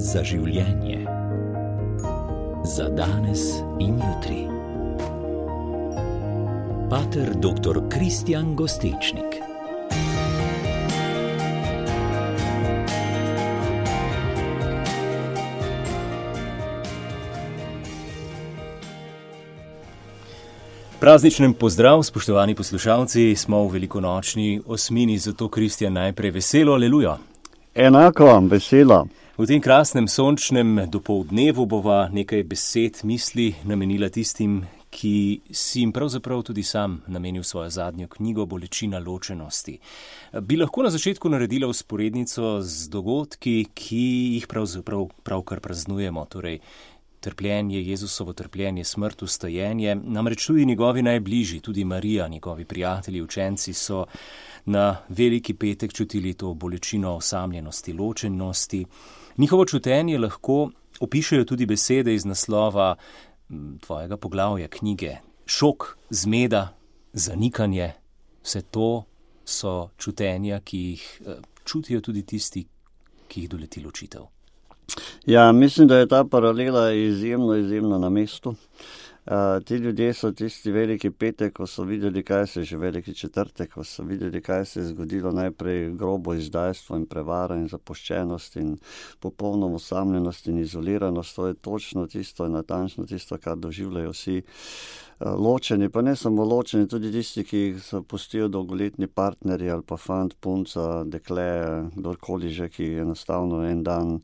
za življenje. Za danes in jutri. Pater dr. Kristjan Gostečnik. Prazničnem pozdrav, spoštovani poslušalci, smo v velikonočni osmini, zato Kristjan najprej veselo, aleluja. Enako vam, veselo. V tem krasnem sončnem dopoldnevu bova nekaj besed, misli namenila tistim, ki si jim pravzaprav tudi sam namenil svojo zadnjo knjigo Bolečina ločenosti. Bi lahko na začetku naredila vzporednico z dogodki, ki jih pravkar praznujemo, torej trpljenje, Jezusovo trpljenje, smrt, vstajenje, namreč tudi njegovi najbližji, tudi Marija, njegovi prijatelji, učenci so na veliki petek čutili to bolečino osamljenosti, ločenosti. Njihovo čutenje lahko opišejo tudi besede iz naslova tvojega poglavja knjige. Šok, zmeda, zanikanje, vse to so čutenja, ki jih čutijo tudi tisti, ki jih doleti ločitev. Ja, mislim, da je ta paralela izjemno na mestu. Ti ljudje so tisti veliki petek, ko so videli, kaj se je že veliki četrtek, ko so videli, kaj se je zgodilo, najprej grobo izdajstvo in prevara in zapuščenost in popolno osamljenost in izoliranost. To je točno tisto in natančno tisto, kar doživljajo vsi ločeni, pa ne samo ločeni, tudi tisti, ki jih zapustijo dolgoletni partnerji ali pa fant, punca, dekle, kdorkoli že, ki enostavno en dan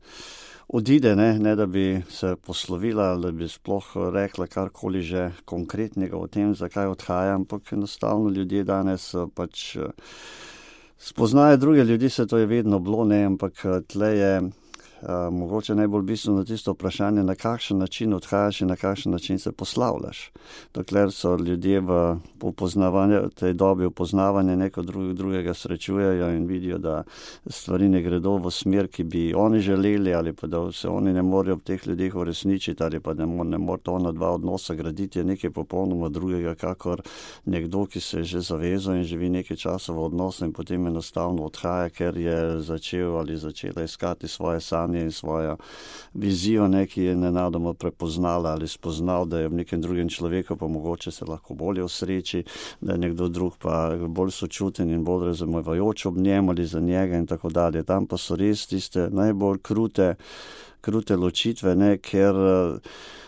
odide, ne da bi se poslovila, da bi sploh rekla karkoli že konkretnega o tem, zakaj odhaja, ampak enostavno ljudje danes pač spoznajo druge ljudi, se to je vedno bilo, ne, ampak tle je mogoče najbolj bistveno tisto vprašanje, na kakšen način odhajaš in na kakšen način se poslavljaš. Dokler so ljudje v tej dobi upoznavanja neko drugega srečujejo in vidijo, da stvari ne gredo v smer, ki bi oni želeli, ali pa da se oni ne morejo ob teh ljudeh uresničiti, ali pa ne more to na dva odnosa graditi, je nekaj popolnoma drugega, kakor nekdo, ki se je že zavezal in živi nekaj časa v odnosu in potem enostavno odhaja, ker je začel ali začela iskati svoje sanje in svojo vizijo, ki je nenadoma prepoznala ali spoznal, da je v nekem drugem človeku pa mogoče se lahko bolje osreči, da je nekdo drug pa bolj sočuten in bolj razumevajoč ob njem ali za njega in tako dalje. Tam pa so res tiste najbolj krute ločitve, ker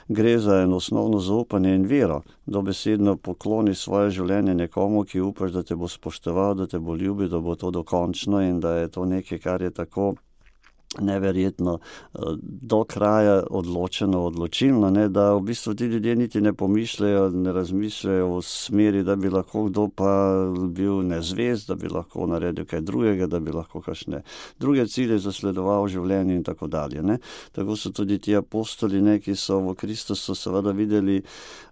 gre za eno osnovno zaupanje in vero. Dobesedno pokloni svoje življenje nekomu, ki upaš, da te bo spoštoval, da te bo ljubil, da bo to dokončno in da je to nekaj, kar je tako neverjetno do kraja odločilno, da v bistvu ti ljudje niti ne pomišljajo, ne razmišljajo v smeri, da bi lahko kdo pa bil nezvest, da bi lahko naredil kaj drugega, da bi lahko kakšne druge cilje zasledoval v življenju in tako dalje. Tako so tudi ti apostoli, ki so v Kristusu seveda videli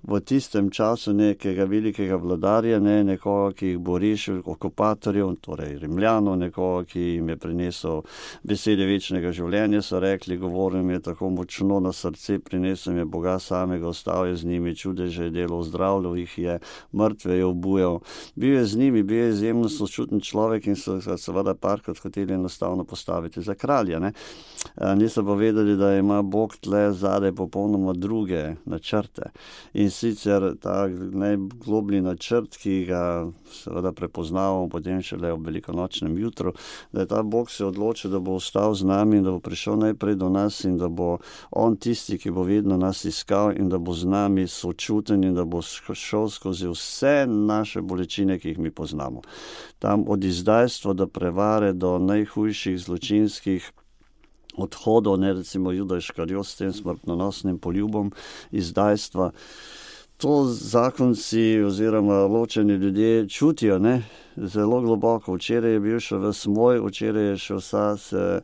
v tistem času nekega velikega vladarja, nekoga, ki jih bo rešil okupatorjev, torej Rimljanov, nekoga, ki jim je prinesel besede večnega življenja, so rekli, govoril mi je tako močno na srce, prinesel mi je Boga samega, ostal je z njimi, čudeže je delal, zdravljal jih je, mrtve je obujal. Bil je z njimi, bil je izjemno sočuten človek in so seveda parkrat hoteli enostavno postaviti za kralja. Niso pa vedeli, da ima Bog tle zadaj popolnoma druge načrte. In sicer ta najgloblji načrt, ki ga seveda prepoznavamo potem šele ob velikonočnem jutru, da je ta Bog se odločil, da bo ostal z nami in da bo prišel najprej do nas in da bo on tisti, ki bo vedno nas iskal in da bo z nami sočuten in da bo šel skozi vse naše bolečine, ki jih mi poznamo. Tam od izdajstva do prevare, do najhujših zločinskih odhodov, recimo Juda Iškariot s tem smrtonosnim poljubom izdajstva. To zakonci oziroma ločeni ljudje čutijo, zelo globoko. Včeraj je bil še ves moj, včeraj je še vsa se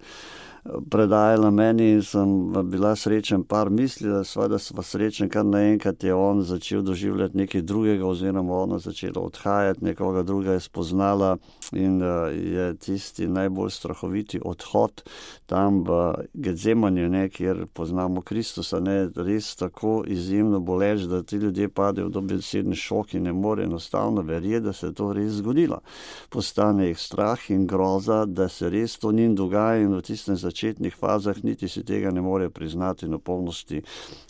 predajala meni in sem bila srečen par misli, da sva srečen, kar naenkrat je on začel doživljati nekaj drugega oziroma ona začela odhajati, nekoga druga je spoznala in je tisti najbolj strahoviti odhod tam v Getsemanju, kjer poznamo Kristusa, res tako izjemno boleč, da ti ljudje padejo v dobesedni šok in ne more enostavno verjeti, da se je to res zgodilo. Postane jih strah in groza, da se res to njim dogaja in v tistem začetnih fazah niti si tega ne morejo priznati na polnosti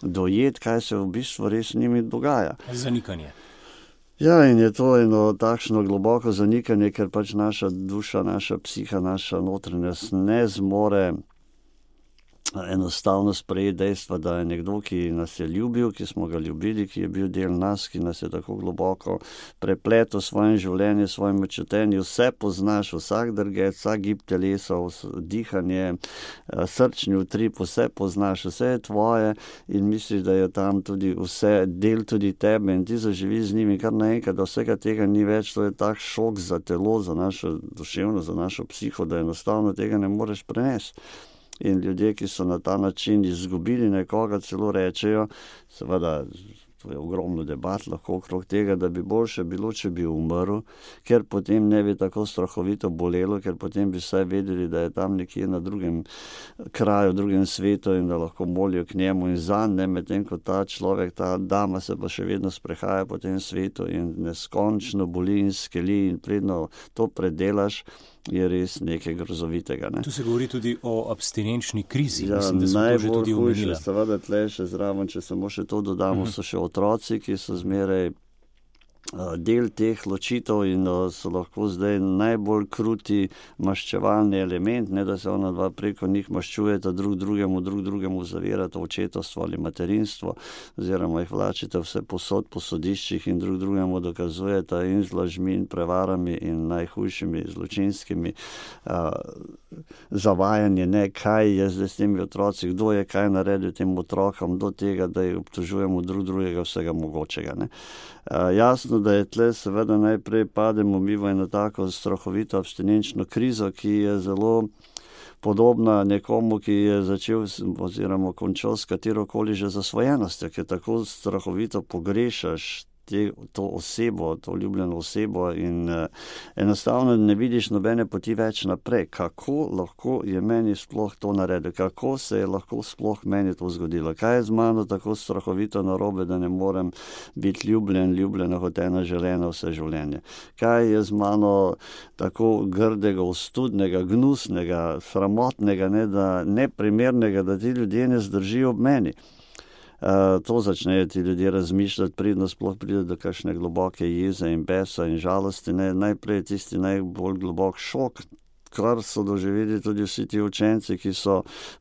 dojeti, kaj se v bistvu res s njimi dogaja. Zanikanje. Ja, in je to eno takšno globoko zanikanje, ker pač naša duša, naša psiha, naša notranjost ne zmore enostavno sprejeti dejstva, da je nekdo, ki nas je ljubil, ki smo ga ljubili, ki je bil del nas, ki nas je tako globoko prepletel svojem življenju, svojem čutenju, vse poznaš, vsak drget, vsak gib telesa, dihanje, srčni utrip, vse poznaš, vse je tvoje in misliš, da je tam tudi vse del tudi tebe in ti zaživiš z njimi kar naenkrat, da vsega tega ni več, to je tak šok za telo, za našo duševno, za našo psiho, da enostavno tega ne moreš prenesti. In ljudje, ki so na ta način izgubili nekoga, celo rečejo, seveda, to je ogromno debat lahko okrog tega, da bi boljše bilo, če bi umrl, ker potem ne bi tako strahovito bolelo, ker potem bi vsaj vedeli, da je tam nekje na drugem kraju, drugem svetu in da lahko molijo k njemu in zanj, ne, medtem ko ta človek, ta dama se pa še vedno sprehaja po tem svetu in neskončno boli in skeli in predno to predelaš, je res nekaj grozovitega. Ne? Tu se govori tudi o abstinenčni krizi. Ja, mislim, da smo to že tudi omenili. Seveda tle še zraven, če samo še to dodamo, so še otroci, ki so zmeraj del teh ločitev in so lahko zdaj najbolj kruti maščevalni element, ne da se ona dva preko njih maščujeta drug drugemu zavirata očetovstvo ali materinstvo, oziroma jih vlačite vse posod po sodiščih in drug drugemu dokazujeta in z lažmi in prevarami in najhujšimi zločinskimi zavajanje, ne, kaj je zdaj s temi otroci, kdo je kaj naredil tem otrokom do tega, da jih obtožujemo drug drugega vsega mogočega. Ne. Jasno, da je tle seveda najprej pademo mi v eno tako strahovito abstinenčno krizo, ki je zelo podobna nekomu, ki je začel oziroma končal s katerokoli že zasvojenostjo, ker tako strahovito pogrešaš to osebo, to ljubljeno osebo in enostavno ne vidiš nobene poti več naprej. Kako lahko je meni sploh to naredil? Kako se je lahko sploh meni to zgodilo? Kaj je z mano tako strahovito narobe, da ne morem biti ljubljena kot ena želena vse življenje? Kaj je z mano tako grdega, ostudnega, gnusnega, sramotnega, neprimernega, da ti ljudje ne zdržijo ob meni? To začnejo ti ljudje razmišljati, pridno sploh pride do kakšne globoke jeze in besa in žalosti. Najprej tisti najbolj globok šok, kar so doživeli tudi vsi ti učenci,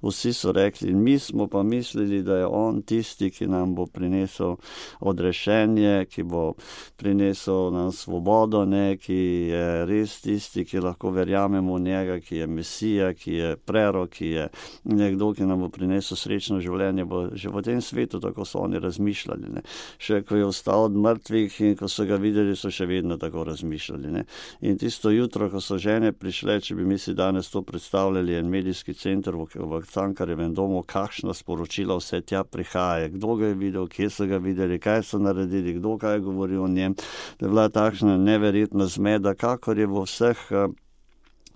vsi so rekli, in mi smo pa mislili, da je on tisti, ki nam bo prinesel odrešenje, ki bo prinesel nam svobodo, ki je res tisti, ki lahko verjamemo v njega, ki je Mesija, ki je prerok, ki je nekdo, ki nam bo prinesel srečno življenje, bo že v tem svetu, tako so oni razmišljali. Ne. Še ko je vstal od mrtvih in ko so ga videli, so še vedno tako razmišljali. Ne. In tisto jutro, ko so žene prišle, če bi mi si danes to predstavljali, en medijski center v Cankarjevem domu, kakšna sporočila vse tja prihaja, kdo ga je videl, kje so ga videli, kaj so naredili, kdo kaj govori o njem, da je bila takšna neverjetna zmeda, kakor je v vseh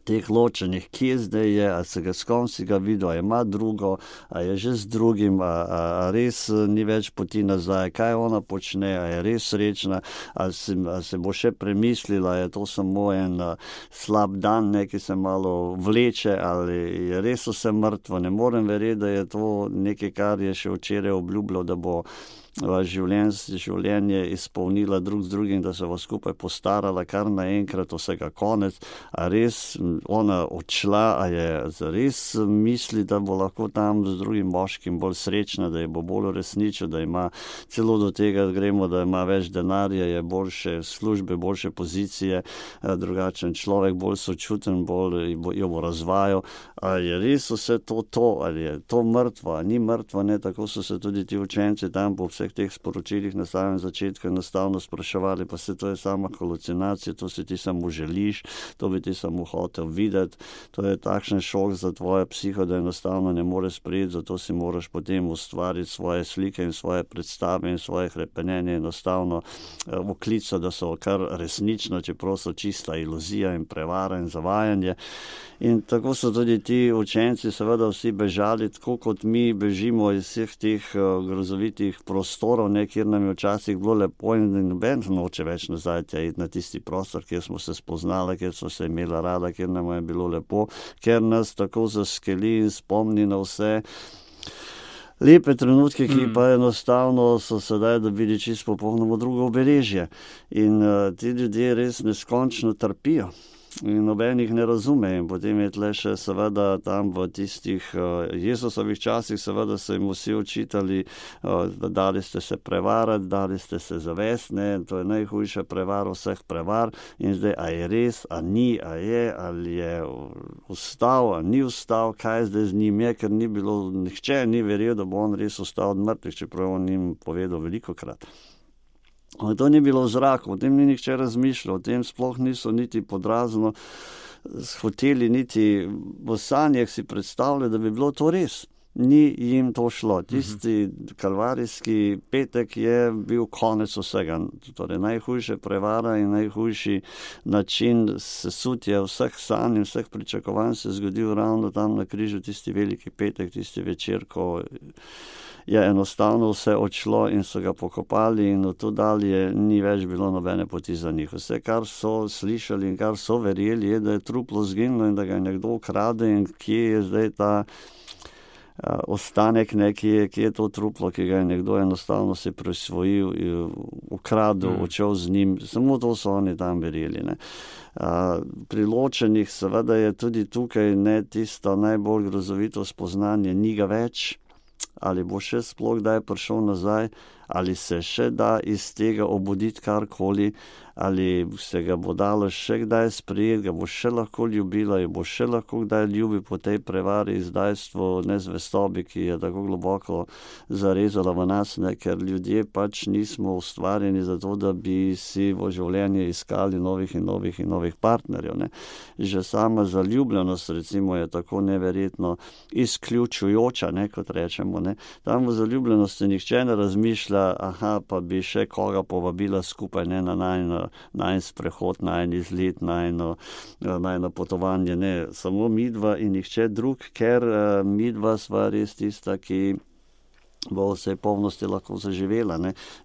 teh ločenih, kje zdaj je, a se ga s kom si ga videl, a ima drugo, a je že z drugim, a res ni več poti nazaj, kaj ona počne, a je res srečna, a se bo še premislila, je to samo en slab dan, ki se malo vleče, ali je res vse mrtvo. Ne morem verjeti, da je to nekaj, kar je še včeraj obljubljal, da bo življenje izpolnila drug z drugim, da se bo skupaj postarala, kar naenkrat vsega konec. A res ona odšla, a je zares misli, da bo lahko tam z drugim moškim bolj srečna, da je bo bolj uresničil, da ima celo do tega, gremo, da ima več denarja, je boljše službe, boljše pozicije, drugačen človek, bolj sočuten, bolj jo bo razvajal. A je res vse to, ali je to mrtvo, a ni mrtvo, ne, tako so se tudi ti učenci tam po vseh teh sporočilih na samem začetku enostavno spraševali, pa se to je sama halucinacija, to si ti samo želiš, to bi ti samo hotel videti, to je takšen šok za tvojo psiho, da enostavno ne moreš sprejeti, zato si moraš potem ustvariti svoje slike in svoje predstave in svoje hrepenenje enostavno oklica, da so kar resnično, čeprav so čista iluzija in prevara in zavajanje. In tako so tudi ti učenci seveda vsi bežali, tako kot mi bežimo iz vseh teh grozovitih prostorov, prostorov, kjer nam je včasih bilo lepo in noben noče več nazaj iti na tisti prostor, kjer smo se spoznali, kjer smo se imeli rada, kjer nam je bilo lepo, ker nas tako zaskeli in spomni na vse lepe trenutke, ki pa enostavno so sedaj dobili čisto popolnoma drugo obeležje. In ti ljudje res neskončno trpijo. In noben jih ne razume. In potem je tle še seveda tam v tistih Jezusovih časih, seveda so jim vsi očitali, da dali ste se prevarati, dali ste se zavesti, to je najhujša prevara vseh prevar. In zdaj, a je res, a ni, a je, ali je vstal, a ni vstal, kaj zdaj z njim je, ker ni bilo, nihče ni verjel, da bo on res vstal od mrtvih, čeprav on njim povedal velikokrat. To ni bilo v zraku, o tem ni nihče razmišljal, o tem sploh niso niti podrazno hoteli, niti v sanjah si predstavljali, da bi bilo to res. Ni jim to šlo. Tisti kalvarijski petek je bil konec vsega. Torej, najhujša prevara in najhujši način sesutja vseh sanj in vseh pričakovanj se je zgodil ravno tam na križu, tisti veliki petek, tisti večer, ko je enostavno vse odšlo in so ga pokopali in od tu dalje ni več bilo nobene poti za njih. Vse, kar so slišali in kar so verjeli, je, da je truplo zginilo in da ga je nekdo ukrade in kje je zdaj ta ostanek, kje je to truplo, ki ga je nekdo enostavno se prisvojil, ukradel, odšel z njim. Samo to so oni tam verjeli. Pri ločenih seveda je tudi tukaj tisto najbolj grozovito spoznanje, ni ga več. Ali bo še sploh kdaj prišel nazaj, ali se še da iz tega obuditi karkoli, ali se ga bo dalo še kdaj sprejeti, ga bo še lahko ljubila, jo bo še lahko kdaj ljubi po tej prevari, izdajstvu, nezvestobi, ki je tako globoko zarezala v nas, ker ljudje pač nismo ustvarjeni za to, da bi si v življenje iskali novih in novih partnerjev. Že sama zaljubljenost recimo je tako neverjetno izključujoča, kot rečemo. Tam v zaljubljenosti nihče ne razmišlja, pa bi še koga povabila skupaj, na najin sprehod, najin izlet, najino potovanje, samo midva in nihče drug, ker midva sva res tista, ki bo vse polnosti lahko zaživela.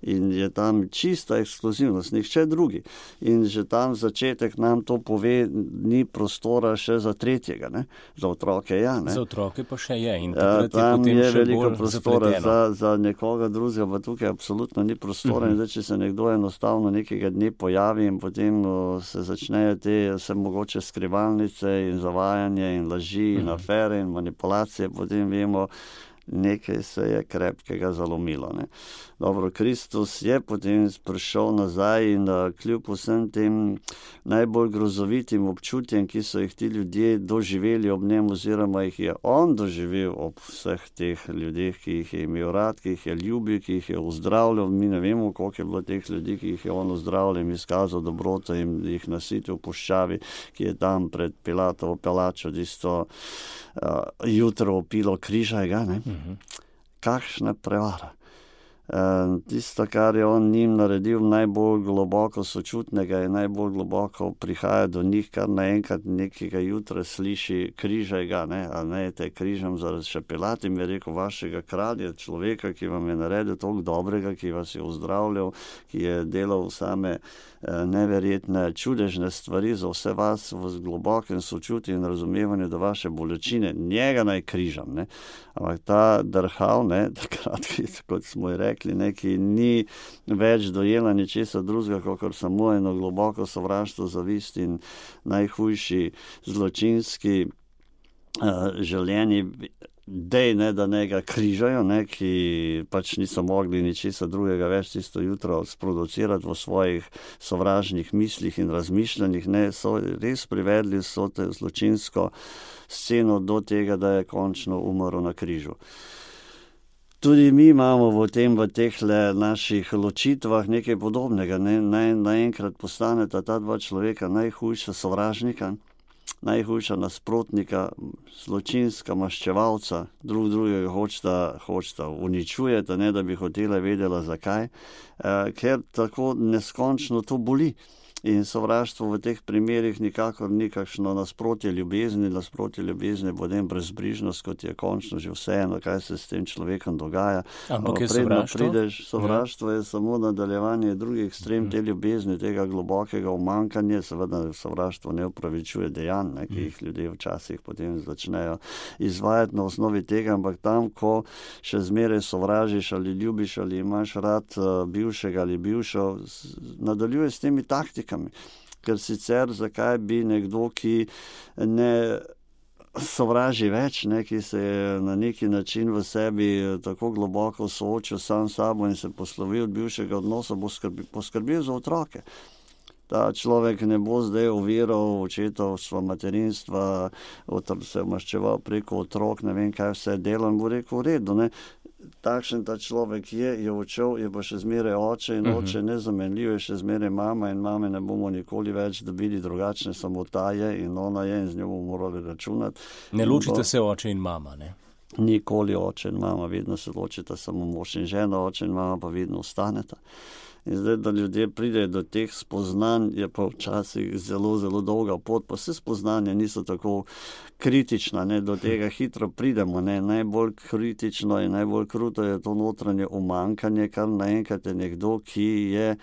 In je tam čista ekskluzivnost, nihče drugi. In že tam začetek nam to pove, ni prostora še za tretjega. Za otroke Za otroke pa še je. In tam je veliko prostora za nekoga drugega, pa tukaj absolutno ni prostora. In zdaj, če se nekdo enostavno nekega dne pojavi in potem se začnejo te vse mogoče skrivalnice in zavajanje in laži in afere in manipulacije, potem vemo, nekaj se je krepkega zalomilo. Dobro, Kristus je potem prišel nazaj in kljub vsem tem najbolj grozovitim občutjem, ki so jih ti ljudje doživeli ob njem, oziroma jih je on doživel ob vseh teh ljudeh, ki jih je imel rad, ki jih je ljubil, ki jih je uzdravljal. Mi ne vemo, koliko je bilo teh ljudi, ki jih je on uzdravljal in izkazal dobroto in jih nasitil v puščavi, ki je tam pred Pilatovo palačo tisto jutro opilo križa. Kakšna prevara. Tisto, kar je on njim naredil, najbolj globoko sočutnega in najbolj globoko prihaja do njih, kar naenkrat nekega jutra sliši križaj ga, a ne te križam zaradi še Pilat in je rekel, vašega kralja, človeka, ki vam je naredil toliko dobrega, ki vas je uzdravljal, ki je delal same neverjetne, čudežne stvari za vse vas v globokem sočutju in razumevanju do vaše bolečine, njega naj križam. Ampak ta drhal, takrat, kot smo ji rekli, ki ni več dojela ničesar drugega, kakor samo eno globoko sovraštvo, zavist in najhujši zločinski želeni dej, da ne ga križajo, ki pač niso mogli ničesar drugega več tisto jutro sproducirati v svojih sovražnih mislih in razmišljanjih, so res privedli so te zločinsko sceno do tega, da je končno umrl na križu. Tudi mi imamo v teh naših ločitvah nekaj podobnega. Naenkrat postaneta ta dva človeka najhujša sovražnika, najhujša nasprotnika, zločinska maščevalca, drugega hočeta uničujeta, da bi hotela vedela zakaj, ker tako neskončno to boli. In sovraštvo v teh primerih nikakor ni kakšno nasprotje ljubezni. Nasprotje ljubezni bo brezbrižnost, kot je končno že vseeno, kaj se s tem človekom dogaja. Ampak je sovraštvo? Sovraštvo je samo nadaljevanje drugih ekstrem te ljubezni, tega globokega umankanja. Seveda sovraštvo ne upravičuje dejanj, ki jih ljudje včasih potem začnejo izvajati na osnovi tega, ampak tam, ko še zmeraj sovražiš ali ljubiš ali imaš rad bivšega ali bivšo, nadaljuje s temi taktikami. Ker sicer zakaj bi nekdo, ki ne sovraži več, ki se je na neki način v sebi tako globoko soočil sam s sabo in se poslovil od bivšega odnosa, bo poskrbel za otroke. Ta človek ne bo zdaj oviral očetovstva, materinstva, se maščeval preko otrok, ne vem kaj vse delo, in bo rekel, v redu, ne. Takšen ta človek je odšel, je pa še zmeraj oče in oče nezamenljiv, je še zmeraj mama in mame ne bomo nikoli več dobili drugačne, samo ta je in ona je in z njo bomo morali računati. Ne ločite se oče in mama, ne? Nikoli oče in mama, vedno se ločita samo mož in žena, oče in mama pa vedno ostaneta. In zdaj, da ljudje pridejo do teh spoznanj, je pa včasih zelo, zelo dolga pot, pa vse spoznanja niso tako kritična, do tega hitro pridemo, Najbolj kritično in najbolj kruto je to notranje umankanje, kar naenkrat je nekdo, ki je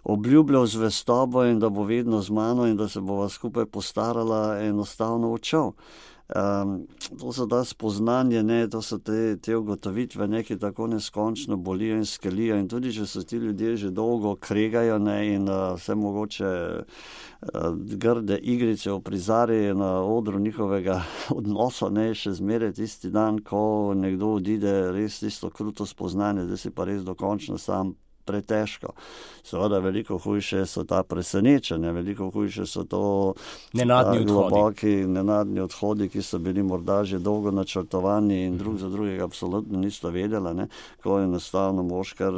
obljubljal zvestobo in da bo vedno z mano in da se bova skupaj postarala, enostavno odšel. To so ta spoznanje, to so te ugotovitve, ki tako neskončno bolijo in skelijo, in tudi, če so ti ljudje že dolgo kregajo, in vse mogoče grde igrice uprizarjajo na odru njihovega odnosa, še zmeraj tisti dan, ko nekdo odide, res tisto kruto spoznanje, da si pa res dokončno sam pretežko. Seveda veliko hujše so ta presenečenja, veliko hujše so to globoki, nenadni odhodi, ki so bili morda že dolgo načrtovani in drug za drugega absolutno nista vedela, ko enostavno mož kar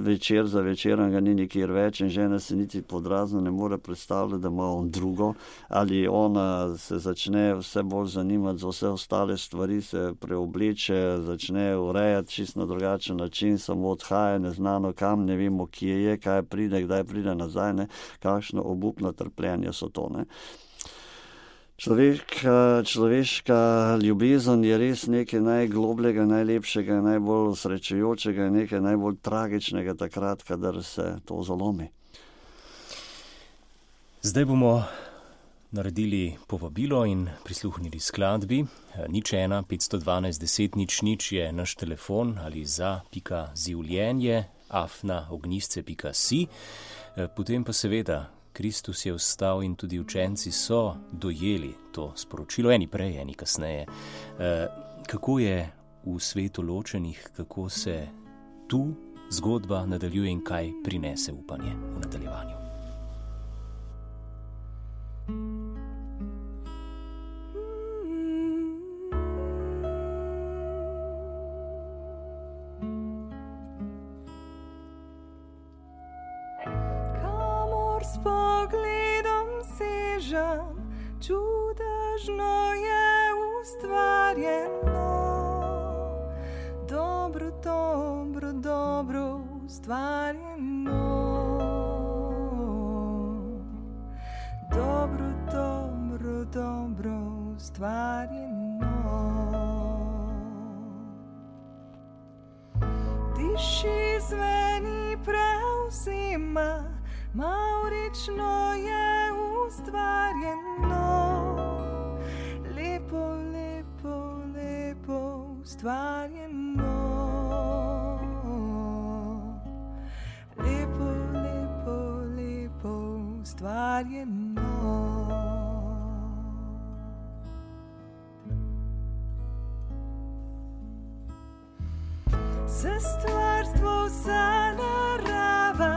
večer za večerom ga ni nikjer več in žena se niti podrazno ne more predstavljati, da ima on drugo, ali ona se začne vse bolj zanimati za vse ostale stvari, se preobleče, začne urejati čisto na drugačen način, samo odhaja neznano kam, ne vemo, kje je, kaj pride, kdaj pride nazaj, kakšno obupno trpljenje so to, Človeška ljubezen je res nekaj najglobljega, najlepšega, najbolj srečujočega, nekaj najbolj tragičnega takrat, kadar se to zalomi. Zdaj bomo naredili povabilo in prisluhnili skladbi. 01 512 10 00 je naš telefon ali za.zivljenje@ognistce.si. Potem pa seveda, Kristus je vstal in tudi učenci so dojeli to sporočilo, eni prej, eni kasneje. Kako je v svetu ločenih, kako se tu zgodba nadaljuje in kaj prinese upanje v nadaljevanju. Čudežno je ustvarjeno, dobro, dobro, dobro ustvarjeno, dobro, dobro, dobro ustvarjeno. Diši, zveni, prevzima, mavrično je ustvarjeno, lepo, lepo, lepo ustvarjeno, lepo, lepo, lepo ustvarjeno. Vse stvarstvo, vsa narava,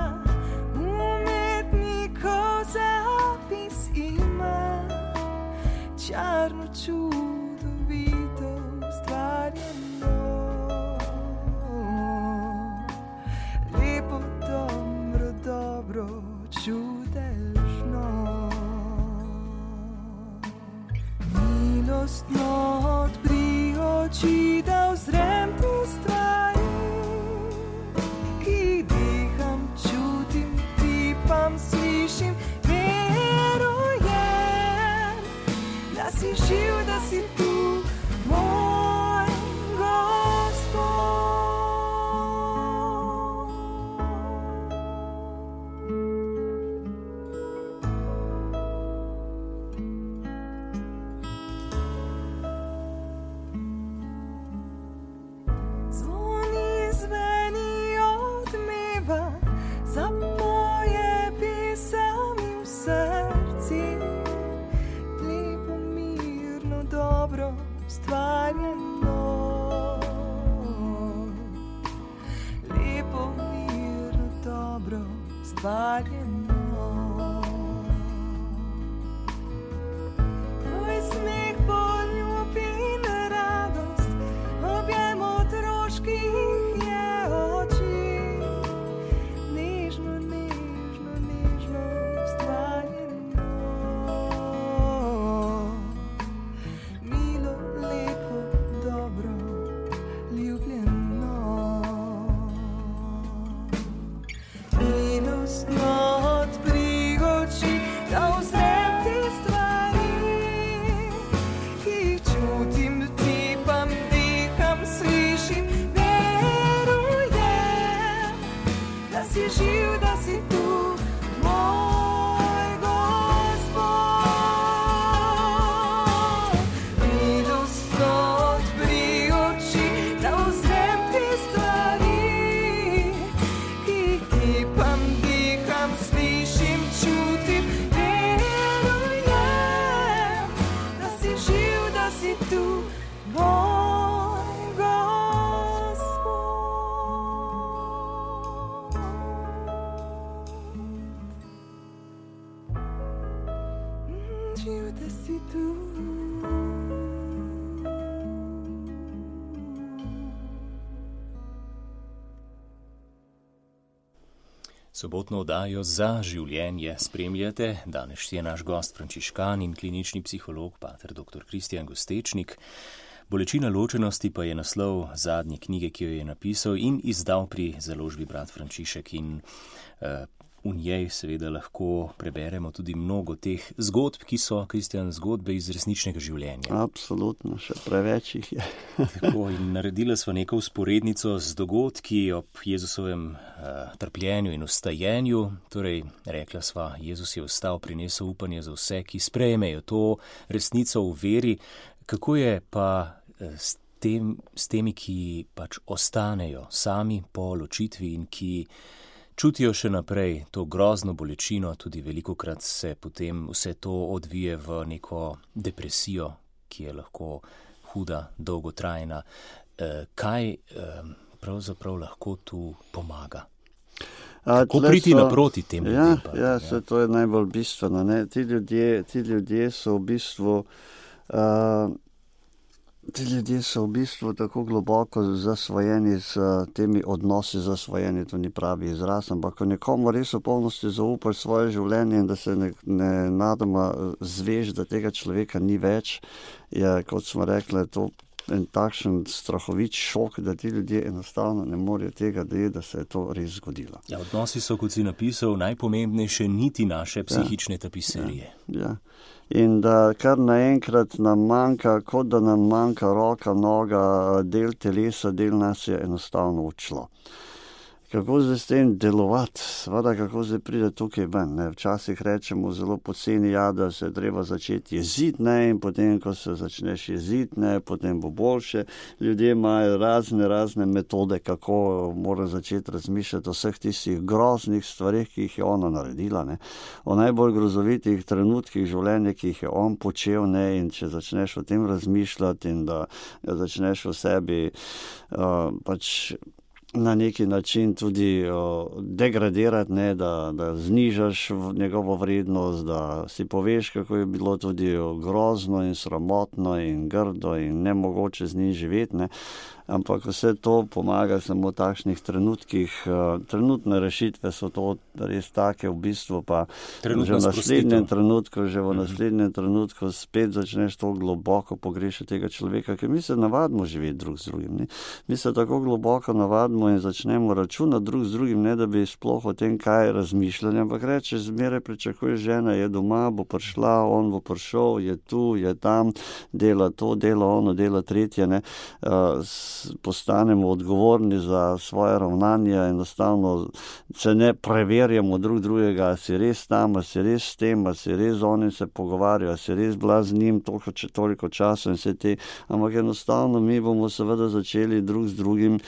umetnikov zapis ima, čarno, čudovito ustvarjeno, lepo, dobro, dobro, čudežno, milostno odpri oči, da uzrem te stvari, ki diham, čutim, ti pa si tu, moj Gospod. Zvoni zveni odmeva, zapoje pesem v srci, lepo, mirno, dobro stvarjeno. Lepo, mirno, dobro stvarjeno. Tvoj smeh, poljub in radost, objem otroških je oči. Nežno, nežno, nežno stvarjeno. Milo, lepo, dobro, ljubljeno. Milostno odpri oči, da uzrem te stvari, ki jih čutim, dotipam, diham, slišim, verujem, da si živ, da si tu, moj Gospod. Milostno odpri oči, da uzrem te stvari, ki jih dotipam, diham, slišim, čutim, verujem, da si živ, da si tu, moj Gospod. Živ, da si tu. Sobotno oddajo Za življenje spremljate. Danes je naš gost frančiškan in klinični psiholog, pater dr. Kristijan Gostečnik. Bolečina ločenosti pa je naslov zadnje knjige, ki jo je napisal in izdal pri založbi Brat Frančišek. In v njej seveda lahko preberemo tudi mnogo teh zgodb, ki so, Kristijan, zgodbe iz resničnega življenja. Absolutno, še preveč jih je. Tako, in naredila sva neko vzporednico z dogodki ob Jezusovem trpljenju in vstajenju. Torej, rekla sva, Jezus je vstal, prinesel upanje za vse, ki sprejmejo to resnico v veri. Kako je pa s temi, ki pač ostanejo sami po ločitvi in ki čutijo še naprej to grozno bolečino, tudi velikokrat se potem vse to odvije v neko depresijo, ki je lahko huda, dolgotrajna. Kaj pravzaprav lahko tu pomaga? Kako priti naproti tem ljudem? To je najbolj bistveno. Ne? Ti ljudje so v bistvu tako globoko zasvojeni s temi odnosi, zasvojeni, to ni pravi izraz, ampak ko nekomu res v polnosti zaupaš svoje življenje in da se nenadoma zveš, da tega človeka ni več, je, kot smo rekli, to en takšen strahovit šok, da ti ljudje enostavno ne morejo tega dojeti, da se je to res zgodilo. Ja, odnosi so, kot si napisal, najpomembnejše niti naše psihične tapiserije. Ja. In da kar naenkrat nam manjka, kot da nam manjka roka, noga, del telesa, del nas je enostavno odšlo. Kako zdaj s tem delovati? Seveda, kako zdaj pride tukaj ven? Ne? Včasih rečemo zelo poceni, da se je treba začeti jeziti, ne? In potem, ko se začneš jeziti, ne? Potem bo boljše. Ljudje imajo razne metode, kako mora začeti razmišljati o vseh tistih groznih stvarih, ki jih je ona naredila, ne? O najbolj grozovitih trenutkih življenja, ki jih je on počel, ne? In če začneš o tem razmišljati in da začneš v sebi pač na neki način tudi degradirati, ne, da znižaš njegovo vrednost, da si poveš, kako je bilo tudi grozno in sramotno in grdo in nemogoče z njim živeti, ne. ampak vse to pomaga samo v takšnih trenutkih. Trenutne rešitve so to res take, v bistvu pa že v naslednjem trenutku spet začneš to globoko pogrešati tega človeka, ker mi se navadimo živeti drug z drugim. Ne? Mi se tako globoko navadimo in začnemo računati drug z drugim, ne da bi sploh o tem kaj razmišljali, ampak rečeš, zmeraj pričakuješ, žena je doma, bo prišla, on bo prišel, je tu, je tam, dela to, dela ono, dela tretje. Ne? Postanemo odgovorni za svoje ravnanje, enostavno se ne preverjamo drug drugega, a si res tam, a si res s tem, a si res z onim se pogovarja, a si res bila z njim toliko časa in vse te, ampak enostavno mi bomo seveda začeli drug z drugim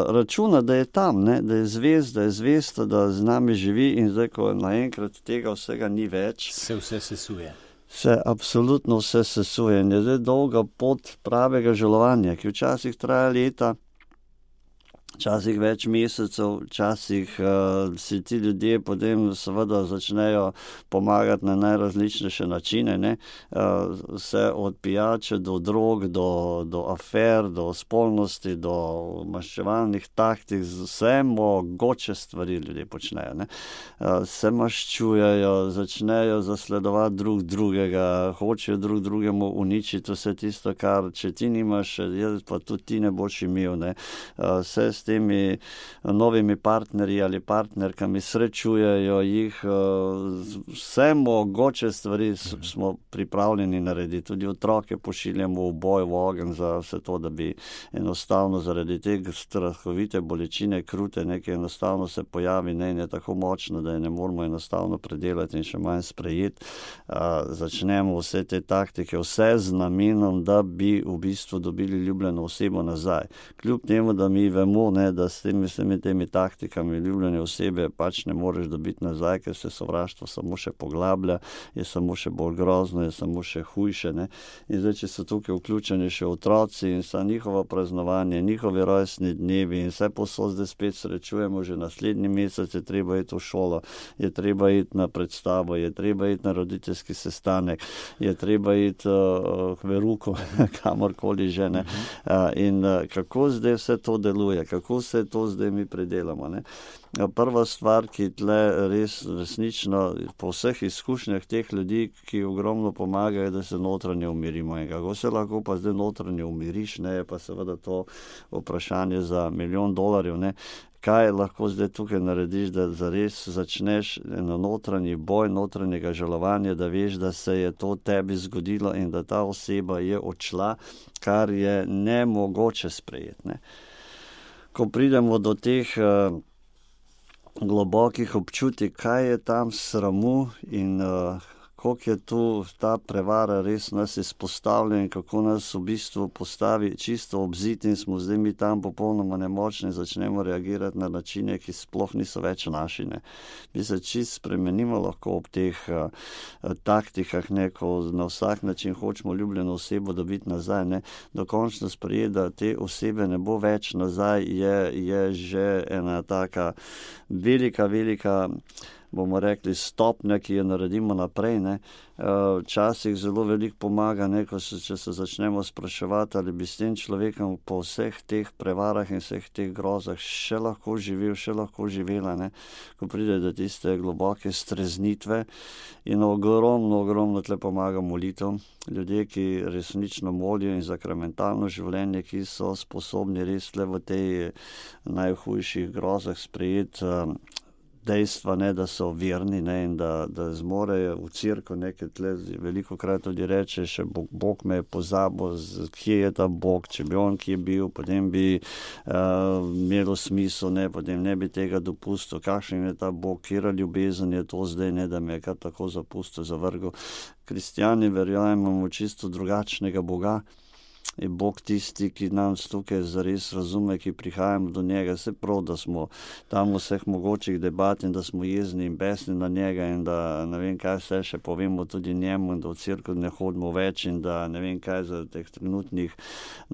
računa, da je tam, ne? Da je zvest, da z nami živi in zdaj, ko naenkrat tega vsega ni več, se vse sesuje. Se absolutno vse sesuje in je zdaj dolga pot pravega žalovanja, ki včasih traja leta, včasih več mesecev, včasih si ti ljudje potem seveda začnejo pomagati na najrazličnejše načine, ne? Vse od pijače do drog, do afer, do spolnosti, do maščevalnih taktik, vse mogoče stvari ljudje počnejo, ne? Se maščujejo, začnejo zasledovati drug drugega, hočejo drug drugemu uničiti vse tisto, kar če ti nimaš, pa tudi ti ne boš imel, ne? Vse s temi novimi partnerji ali partnerkami srečujejo jih, vse mogoče stvari smo pripravljeni narediti. Tudi otroke pošiljamo v boj, v ogenj za vse to, da bi enostavno zaradi tega strahovite bolečine, krute, nekaj enostavno se pojavi, ne, in je tako močno, da je ne moramo enostavno predelati in še manj sprejeti. Začnemo vse te taktike, vse z namenom, da bi v bistvu dobili ljubljeno osebo nazaj. Kljub temu, da mi vemo, ne, da s temi taktikami ljubljene osebe pač ne moreš dobiti nazaj, ker se sovraštvo samo še poglablja, je samo še bolj grozno, je samo še hujše, ne. In zdaj, če so tukaj vključeni še otroci in sa njihovo praznovanje, njihovi rojstni dnevi in vse posod zdaj spet srečujemo, že naslednji mesec je treba iti v šolo, je treba iti na predstavo, je treba iti na roditeljski sestanek, je treba iti k veruku, kamorkoli že, ne. In kako zdaj vse to deluje, kako se to zdaj mi predelamo, ne. Prva stvar, ki tle resnično po vseh izkušnjah teh ljudi, ki ogromno pomagajo, da se notranje umirimo. In kako se lahko pa zdaj notranje umiriš, ne, je pa seveda to vprašanje za $1 milijon, ne. Kaj lahko zdaj tukaj narediš, da zares začneš eno notranji boj, notranjega žalovanja, da veš, da se je to tebi zgodilo in da ta oseba je odšla, kar je nemogoče sprejeti, ne. Ko pridemo do teh globokih občutij, kaj je tam sramu in koliko je tu ta prevara res nas izpostavlja in kako nas v bistvu postavi čisto ob zid in smo zdaj mi tam popolnoma nemočni, začnemo reagirati na načine, ki sploh niso več naši, ne. Mi se čisto spremenimo lahko ob teh taktikah, ne, ko na vsak način hočemo ljubljeno osebo dobiti nazaj, ne. Dokončno sprejeti, da te osebe ne bo več nazaj, je že ena taka velika, bomo rekli, stopnja, ki jo naredimo naprej, ne. Včasih zelo veliko pomaga, ne, če se začnemo spraševati, ali bi s tem človekom po vseh teh prevarah in vseh teh grozah še lahko živel, še lahko živela, ne. Ko pride do tiste globoke streznitve in ogromno tle pomaga molitev. Ljudje, ki resnično molijo in sakramentalno življenje, ki so sposobni res tle v tej najhujših grozah sprejeti dejstva, ne, da so verni, ne, in da zmorejo v cerkev nekaj tle, velikokrat tudi reče, še Bog me je pozabil, kje je ta Bog, če bi on kje bil, potem bi imelo smisel, ne, potem ne bi tega dopustil, kakšen je ta Bog, kjera ljubezen je to zdaj, ne, da me je kar tako zapustil, zavrgel. Kristjani verjamemo čisto drugačnega Boga. Je Bog tisti, ki nam tukaj zares razume, ki prihajamo do njega. Se prav, da smo tam vseh mogočih debat in da smo jezni in besni na njega in da ne vem kaj vse še povemo tudi njemu in da v cerkev ne hodimo več in da ne vem kaj za teh trenutnih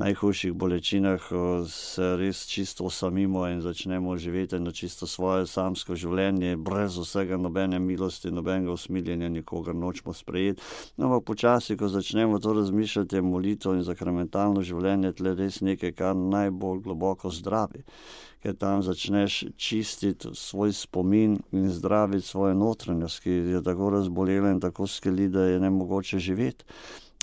najhujših bolečinah se res čisto osamimo in začnemo živeti na čisto svoje samsko življenje, brez vsega nobene milosti, nobenega usmiljenja, nikogar nočemo sprejeti. No, ampak počasi, ko začnemo to razmišljati, molitev in sakramentalno sentimentalno življenje tle res nekaj, kar najbolj globoko zdravi. Ker tam začneš čistiti svoj spomin in zdraviti svojo notranjost, ki je tako razbolela in tako skeli, da je nemogoče živeti.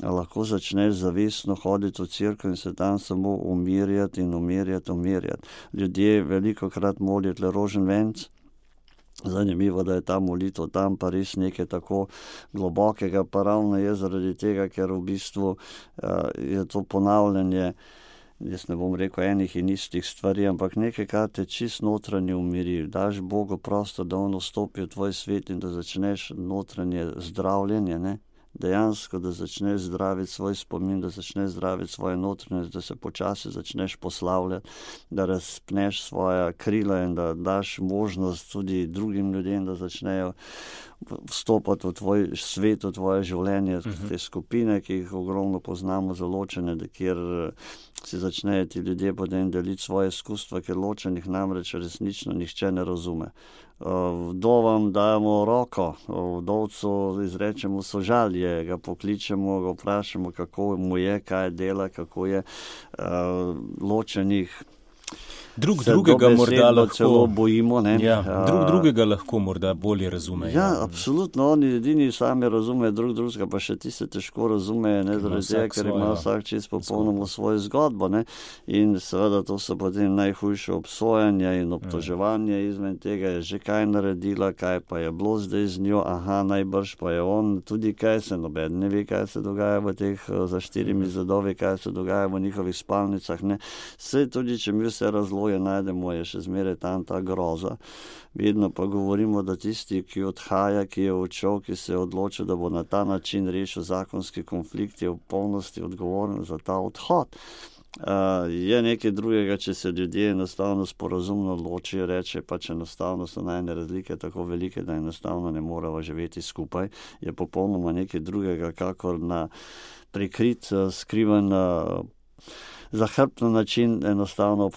Lahko začneš zavestno hoditi v cerkev in se tam samo umirjati in umirjati. Ljudje velikokrat molijo tle rožen venc. Zanimivo, da je ta molitev tam pa res nekaj tako globokega, pa ravno je zaradi tega, ker v bistvu je to ponavljanje, jaz ne bom rekel enih in istih stvari, ampak nekaj, kar te čist notranje umiri. Daš Bogu prostor, da on vstopi v tvoj svet in da začneš notranje zdravljenje, ne? Dejansko, da začneš zdraviti svoj spomin, da začneš zdraviti svoje notranje, da se počasi začneš poslavljati, da razpneš svoja krila in da daš možnost tudi drugim ljudem, da začnejo vstopati v tvoj svet, v tvoje življenje, te skupine, ki jih ogromno poznamo za ločene, kjer si začnejo ti ljudje potem deliti svoje izkustva, ker ločenih namreč resnično nihče ne razume. Vdovam dajemo roko, vdovcu izrečemo sožalje, ga pokličemo, ga vprašamo, kako mu je, kaj dela, kako je, ločenih drugega morda lahko celo bojimo, ne? Ja, drugega lahko morda bolje razumejo. Ja, absolutno, oni edini sami razumejo drugega, pa še ti se težko razumejo, ne, zaradi tega, ker ima vsak čist popolnoma svojo zgodbo, ne, in seveda to so potem najhujše obsojanja in obtoževanje izven tega, je že kaj naredila, kaj pa je bilo zdaj z njo, najbrž pa je on, tudi kaj se noben ne ve, kaj se dogaja v teh za štirimi zidovi, kaj se dogaja v njihovih spalnicah, ne, vse tudi, če mi vse razloje najdemo, je še zmeraj tam ta groza. Vedno pa govorimo, da tisti, ki odhaja, ki je odšel, ki se je odločil, da bo na ta način rešil zakonski konflikt, je v polnosti odgovoren za ta odhod. Je nekaj drugega, če se ljudje enostavno sporazumno odločijo, reče pač enostavno so najne razlike tako velike, da enostavno ne moremo živeti skupaj, je popolnoma nekaj drugega, kakor na prikrit, skriven zahrbten način enostavno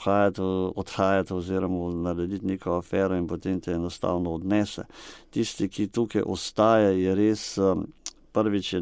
odhajati oziroma narediti neko afero in potem te enostavno odnese. Tisti, ki tukaj ostaje, je res prvič je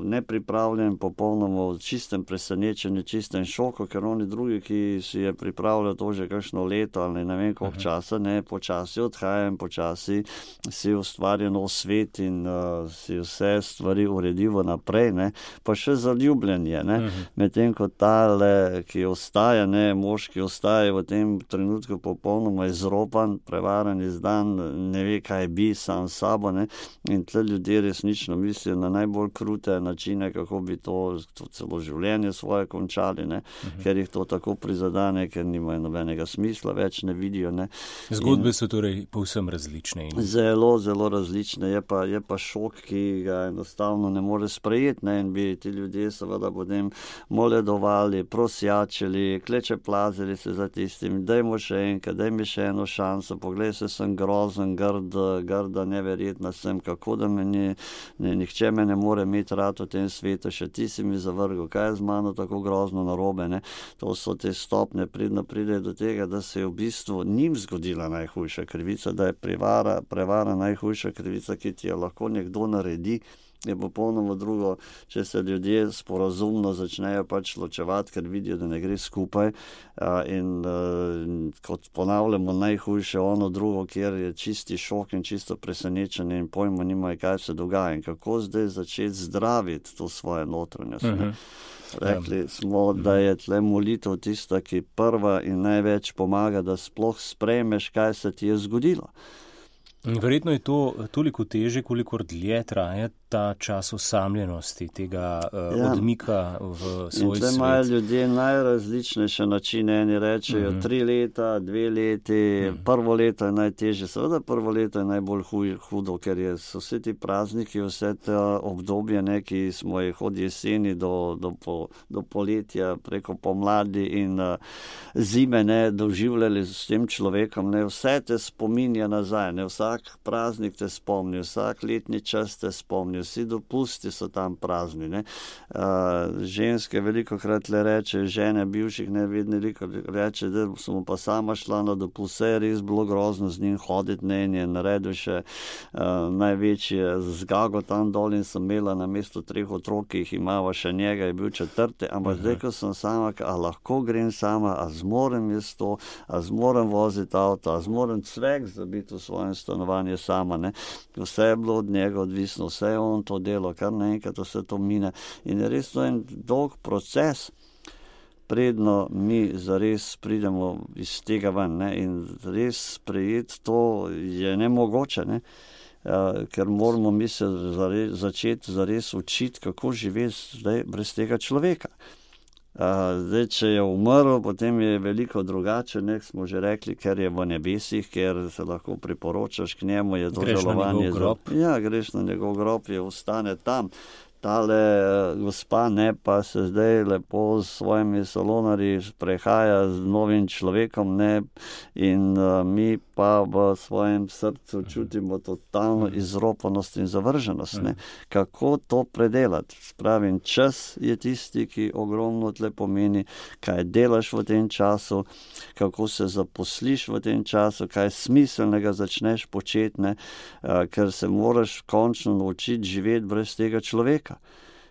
nepripravljen, popolnoma v čistem presenečenju, čistem šoku, ker oni drugi, ki si je pripravljal to že kakšno leto ali ne vem koliko časa, ne, počasi odhajam, počasi si ustvarja nov svet in si vse stvari uredivo naprej, ne, pa še zaljubljen je, ne, medtem ko tale, ki ostaja, ne, mož, ki ostaja v tem trenutku popolnoma izropan, prevaran, izdan, ne ve, kaj bi sam sabo, ne, in tle ljudje resnično na najbolj krute načine, kako bi to celo življenje svoje končali, ne? Ker jih to tako prizadane, ker nimajo nobenega smisla, več ne vidijo. Ne? Zgodbe so torej povsem različne. Zelo, zelo različne. Je pa šok, ki ga enostavno ne more sprejeti, ne? In bi ti ljudje seveda potem moledovali, prosjačili, klečeplazili se za tistim, dajmo še enkrat, daj mi še eno šanso, poglej se, sem grozen, grda, neverjetna sem, kako da nihče me ne more imeti rad v tem svetu, še ti si mi zavrgel, kaj je z mano tako grozno narobe, ne? To so te stopne, pride do tega, da se je v bistvu njim zgodila najhujša krivica, da je prevara najhujša krivica, ki ti jo lahko nekdo naredi, je popolnoma drugo, če se ljudje sporazumno začnejo pač ločevati, ker vidijo, da ne gre skupaj in kot ponavljamo najhujše ono drugo, kjer je čisti šok in čisto presenečenje in pojma nimajo, kaj se dogaja in kako zdaj začeti zdraviti to svoje notranjost. Rekli smo, da je tle molitev tista, ki prva in največ pomaga, da sploh sprejmeš, kaj se ti je zgodilo. Verjetno je to toliko teže, kolikor dlje traja ta čas osamljenosti, tega odmika v svoj svet. In tle imajo ljudje najrazličnejše načine. Eni rečejo 3 leta, 2 leti, prvo leto je najtežje. Seveda prvo leto je najbolj hudo, ker so vsi ti prazniki, vse te obdobje, ne, ki smo jih od jeseni do poletja preko pomladi in zime, ne, doživljali s tem človekom, ne, vse te spominja nazaj, ne, vsak vsak praznik te spomni, vsak letni čas te spomni, vsi dopusti so tam prazni. Ne? Ženske veliko krat le reče, žene bivših nevedni reče, da sem pa sama šla na dopust, vse je res bilo grozno z njim hoditi, ne, in je naredil še največje zgago tam dol in sem imela na mesto 3 otrok, ki jih imava še njega, je bil 4, ampak zdaj, ko sem sama, a lahko grem sama, a zmorem jaz to, a zmorem voziti avto, a zmorem cvek zabiti v svojem stanovanju sama, ne. Vse je bilo od njega odvisno, vse je on to delo, kar naenkrat vse to mine. In je res to en dolg proces, predno mi zares pridemo iz tega ven, ne, in res sprejeti to je nemogoče, ne, ker moramo mi se začeti zares učiti, kako živeti zdaj brez tega človeka. Zdaj, če je umrl, potem je veliko drugače, ne, smo že rekli, ker je v nebesih, ker se lahko priporočaš k njemu, je to žalovanje. Ja, greš na njegov grob, je ostane tam. Tale gospa, ne, pa se zdaj lepo s svojimi salonarji prehaja z novim človekom, ne, in mi pa v svojem srcu čutimo totalno izropanost in zavrženost, ne. Kako to predelati? Spravim, čas je tisti, ki ogromno tle pomeni, kaj delaš v tem času, kako se zaposliš v tem času, kaj smiselnega začneš početi, ne, ker se moraš končno naučiti živeti brez tega človeka.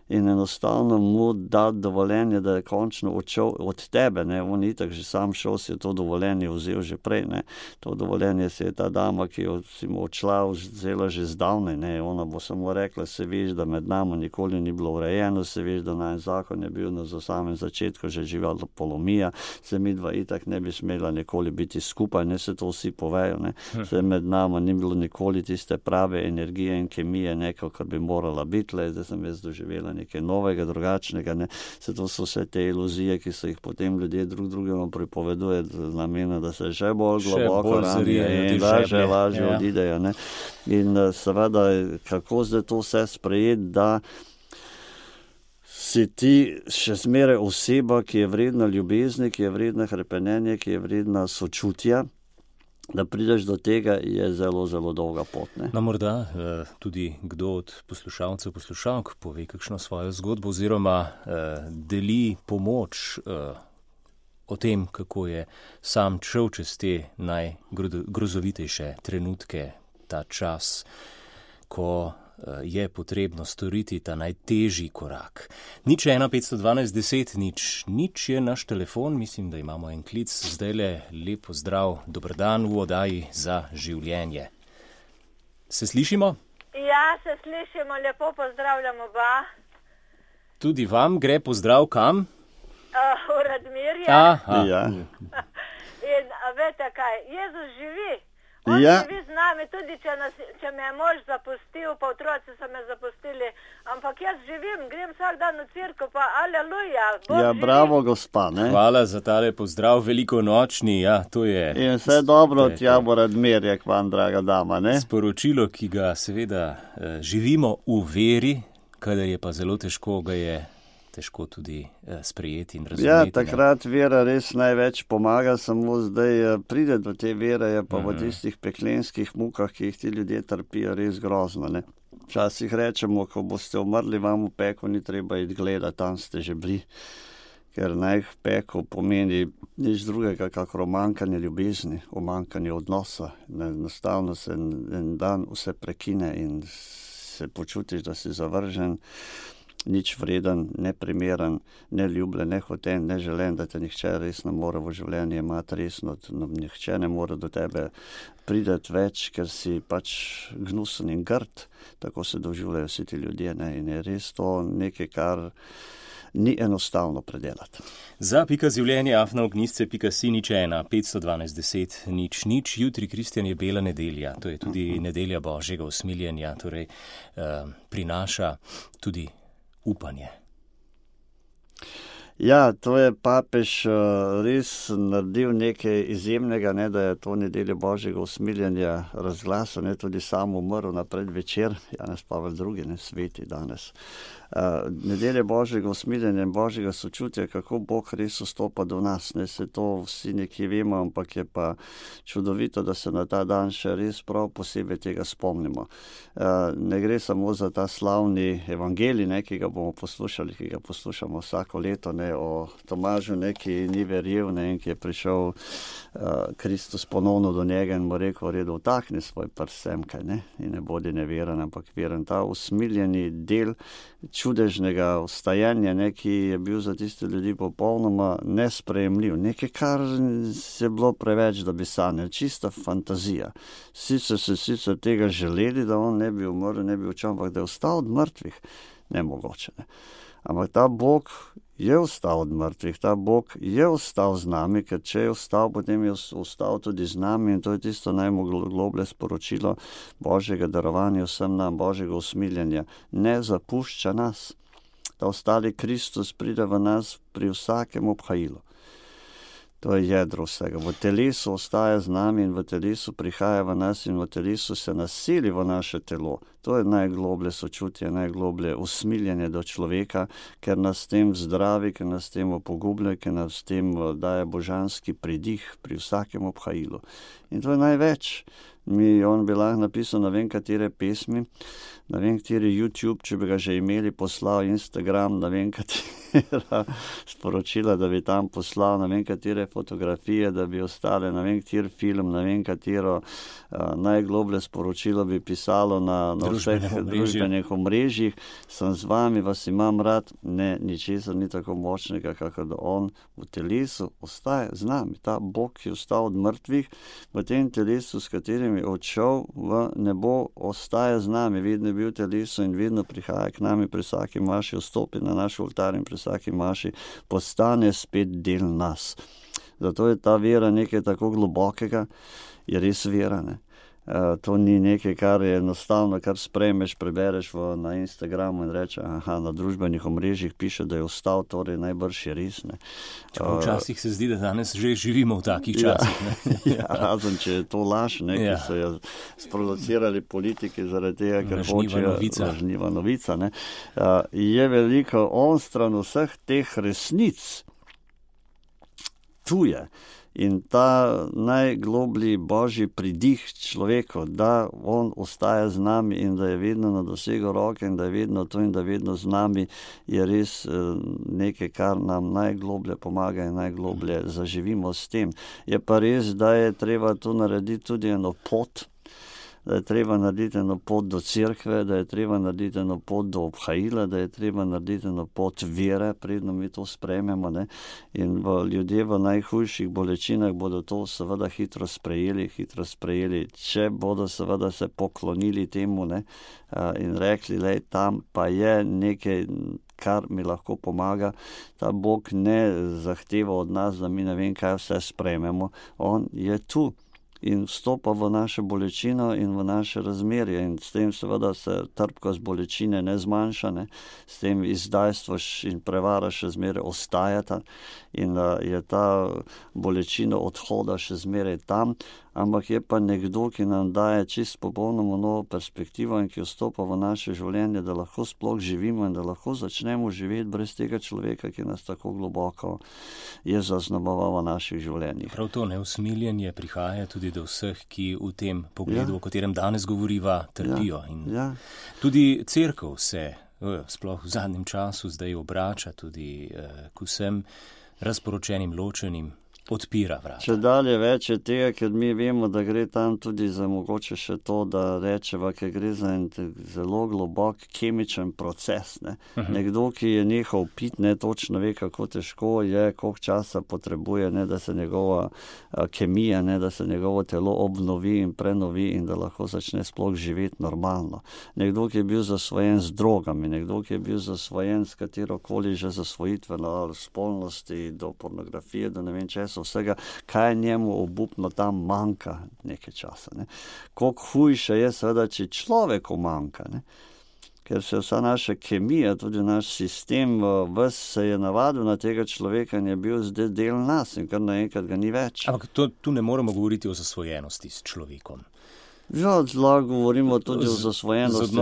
In enostavno mu dati dovoljenje, da je končno odšel od tebe, ne, on itak že sam šel, si je to dovoljenje vzel že prej, ne, to dovoljenje si je ta dama, ki si mu odšla, vzela že zdavnaj, ne, ona bo samo rekla, se veš, da med nami nikoli ni bilo urejeno, se veš, da najin zakon je bil na samem začetku že živela polomija, se midva itak ne bi smela nikoli biti skupaj, ne, se to vsi povejo, ne, se med nami ni bilo nikoli tiste prave energije in kemije, neko, kar bi morala biti, le, zdaj sem jaz doživela nekaj novega, drugačnega, ne. Se to so vse te iluzije, ki so jih potem ljudje drug drugemu pripoveduje z namenom, da se še bolj globoko ranijo in lažje odidejo, ne. In seveda, kako zdaj to vse sprejeti, da si ti še zmeraj oseba, ki je vredna ljubezni, ki je vredna hrepenenja, ki je vredna sočutja, da prideš do tega, je zelo, zelo dolga pot, ne. No, morda tudi kdo od poslušalcev, poslušalk pove kakšno svojo zgodbo oziroma deli pomoč o tem, kako je sam šel čez te najgrozovitejše trenutke, ta čas, ko je potrebno storiti ta najtežji korak. 0 512 10 0 je naš telefon, mislim, da imamo en klic. Zdajle lep pozdrav, dober dan v oddaji Za življenje. Se slišimo? Ja, se slišimo, lepo pozdravljamo oba. Tudi vam gre pozdrav kam? V Radmirje. Ja. In veste kaj, Jezus živi. On živi z nami, tudi če me je mož zapustil, pa otroci so me zapustili, ampak jaz živim, grem vsak dan v cirko, pa aleluja. Ja, bravo, gospa, ne. Hvala za tale pozdrav, velikonočni, ja, to je. In vse dobro tja v Radmirje k vam, draga dama, ne. Sporočilo, ki ga seveda živimo v veri, kadar je pa zelo težko, ga je težko tudi sprejeti in razumeti. Ja, takrat vera res največ pomaga, samo zdaj pride do te vere, je pa v tistih peklenskih mukah, ki jih ti ljudje trpijo, res grozno, ne. Včasih rečemo, ko boste umrli, vam v peklu ni treba iti gledati, tam ste že bili, ker naj v peklu pomeni nič drugega, kakor omankanje ljubezni, omankanje odnosa. Enostavno se en dan vse prekine in se počutiš, da si zavržen, nič vreden, neprimeren, neljubljen, nehoten, neželen, da te nihče res ne more v življenje imati resno, nihče ne more do tebe prideti več, ker si pač gnusen in grd, tako se doživljajo vsi ti ljudje, ne, in je res to nekaj, kar ni enostavno predelati. Za Pika življenje @ognisce.si 0 512 10 0. Jutri, Kristjan, je bela nedelja, to je tudi nedelja Božjega usmiljenja, torej prinaša tudi upanje. Ja, to je papež res naredil nekaj izjemnega, ne, da je to nedeljo Božjega usmiljenja razglasil, ne, tudi sam umrl na predvečer, Janez Pavel II, ne, sveti danes. Nedelje Božjega usmiljenja in Božjega sočutja, kako Bog res vstopa do nas, ne, se to vsi nekje vemo, ampak je pa čudovito, da se na ta dan še res prav posebej tega spomnimo. Ne gre samo za ta slavni evangelij, ne, ki ga bomo poslušali, ki ga poslušamo vsako leto, ne, o Tomažu, ne, ki ni verjel, ne, in ki je prišel Kristus ponovno do njega in mu rekel, redo, vtakni svoj prst semkaj, ne, in ne bodi neveren, ampak veren. Ta usmiljeni del čudežnega vstajanja, ne, ki je bil za tiste ljudi popolnoma nesprejemljiv. Nekaj, kar je bilo preveč, da bi sanjali, čista fantazija. Sicer tega želeli, da on ne bi umrl, ne bi učal, ampak da je vstal od mrtvih, nemogoče. Ne. Ampak ta Bog je vstal od mrtvih, ta Bog je vstal z nami, ker če je vstal, potem je vstal tudi z nami in to je tisto najgloblje sporočilo Božjega darovanja vsem nam, Božjega usmiljenja. Ne zapušča nas. Ta ostali Kristus pride v nas pri vsakem obhajilu. To je jedro vsega. V telesu ostaja z nami in v telesu prihaja v nas in v telesu se nasili v naše telo. To je najgloblje sočutje, najgloblje usmiljenje do človeka, ker nas s tem zdravi, ker nas s tem opogublja, ker nas s tem daje božanski pridih pri vsakem obhajilu. In to je največ. On bi lahko napisal ne vem katere pesmi, ne vem kateri YouTube, če bi ga že imeli, poslal Instagram, ne vem katera sporočila, da bi tam poslal, ne vem katere fotografije, da bi ostale, ne vem kater film, ne vem katero najgloblje sporočilo bi pisalo na vseh družbenih omrežjih. Sem z vami, vas imam rad, ne, ničesar ni tako močnega, kakor da on v telesu ostaje z nami. Ta Bog, ki je vstal od mrtvih, v tem telesu, s katerim je odšel v nebo, ostaje z nami, vedno je bil v telesu in vedno prihaja k nami, pri vsaki maši vstopi na naš oltar in pri vsaki maši postane spet del nas. Zato je ta vera nekaj tako globokega, je res vera, ne. To ni nekaj, kar je enostavno, kar sprejmeš, prebereš na Instagramu in reče, na družbenih omrežjih piše, da je vstal, torej najbrž je res, ne. Včasih se zdi, da danes že živimo v takih časih, ne. Ja, razen, če je to laž, ne, ki so jo sproducirali politiki zaradi tega, ker hočejo lažniva novica, ne. Je veliko onstran vseh teh resnic. Tu je. In ta najgloblji Božji pridih človeku, da on ostaja z nami in da je vedno na dosegu roke in da je vedno tu in da je vedno z nami, je res nekaj, kar nam najgloblje pomaga in najgloblje zaživimo s tem. Je pa res, da je treba tu narediti tudi eno pot, da je treba narediti eno pot do cerkve, da je treba narediti eno pot do obhajila, da je treba narediti eno pot vere, predno mi to sprejmemo, ne. In ljudje v najhujših bolečinah bodo to seveda hitro sprejeli, če bodo seveda se poklonili temu, ne, in rekli, lej, tam pa je nekaj, kar mi lahko pomaga. Ta Bog ne zahteva od nas, da mi ne vem kaj vse sprejmemo. On je tu. In vstopa v našo bolečino in v naše razmerje in s tem seveda se trpkost bolečine ne zmanjša, ne. S tem izdajstvo in prevara še zmeraj ostajata in je ta bolečina odhoda še zmeraj tam, ampak je pa nekdo, ki nam daje čist popolnoma novo perspektivo in ki vstopa v naše življenje, da lahko sploh živimo in da lahko začnemo živeti brez tega človeka, ki nas tako globoko je zaznamoval v naših življenjih. Prav to neusmiljenje prihaja tudi do vseh, ki v tem pogledu, o katerem danes govoriva, trpijo. In tudi cerkev se, sploh v zadnjem času, zdaj obrača tudi k vsem razporočenim, ločenim, odpira vrata. Če dalje več je tega, ker mi vemo, da gre tam tudi za mogoče še to, da rečeva, ker gre za en zelo globok kemičen proces, ne. Nekdo, ki je nehal piti, ne točno ve, kako težko je, koliko časa potrebuje, ne, da se njegova kemija, ne, da se njegovo telo obnovi in prenovi in da lahko začne sploh živeti normalno. Nekdo, ki je bil zasvojen z drogami, nekdo, ki je bil zasvojen s katerokoli že zasvojitveno spolnosti, do pornografije, do ne vem česa, vsega, kaj njemu obupno tam manjka nekaj časa, ne. Koliko hujše je seveda, če človeku manjka, ne. ker se vsa naša kemija, tudi naš sistem, ves se je navadil na tega človeka in je bil zdaj del nas in kar naenkrat ga ni več. Ampak tu ne moremo govoriti o zasvojenosti s človekom. Ja, zelo govorimo tudi o zasvojenosti,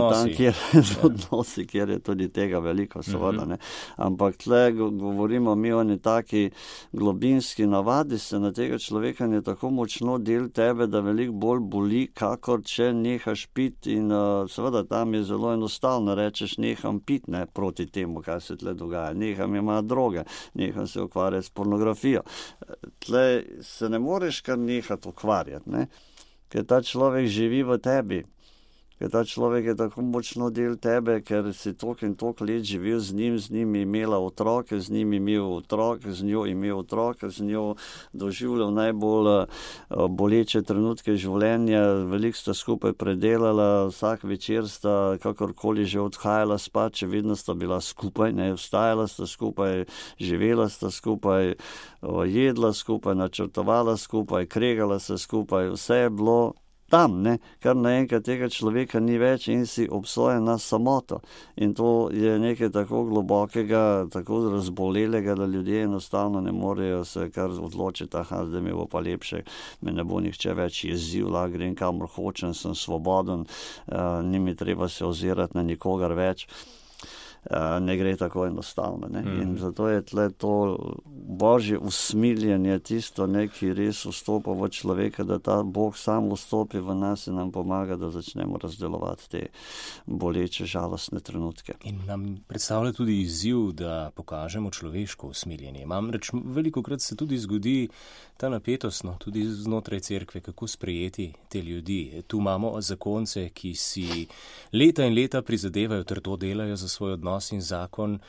odnosi, kjer je tudi tega veliko, seveda, ne. Ampak tle govorimo mi o taki globinski navadi se na tega človeka je tako močno del tebe, da veliko bolj boli, kakor če nehaš pit in seveda tam je zelo enostavno, rečeš neham pit, ne, proti temu, kaj se tle dogaja, neham imati droge, neham se ukvarjati s pornografijo. Tle se ne moreš kar nehati ukvarjati, ne. Ker ta človek živi v tebi, ker ta človek je tako močno del tebe, ker si toliko in toliko let živel z njim imela otroke, z njim imel otroke, z njo imel otroke, z njo doživljal najbolj boleče trenutke življenja, veliko sta skupaj predelala, vsak večer sta kakorkoli že odhajala spat, če vedno sta bila skupaj, ne, vstajala sta skupaj, živela sta skupaj, jedla skupaj, načrtovala skupaj, kregala se skupaj, vse je bilo tam, ne, kar naenkrat tega človeka ni več in si obsojen na samoto. In to je nekaj tako globokega, tako razbolelega, da ljudje enostavno ne morejo se kar odločiti, zdaj mi bo pa lepše, me ne bo nihče več jezil, grem kamor hočem, sem svoboden, ni mi treba se ozirati na nikogar več. Ne gre tako enostavno, ne. In zato je tle to božje usmiljenje tisto, ne, ki res vstopa v človeka, da ta Bog sam vstopi v nas in nam pomaga, da začnemo razdelovati te boleče, žalostne trenutke. In nam predstavlja tudi izziv, da pokažemo človeško usmiljenje. Namreč velikokrat se tudi zgodi ta napetost, no, tudi znotraj cerkve, kako sprejeti te ljudi. Tu imamo zakonce, ki si leta in leta prizadevajo, trdo delajo za svoj odnos in zakon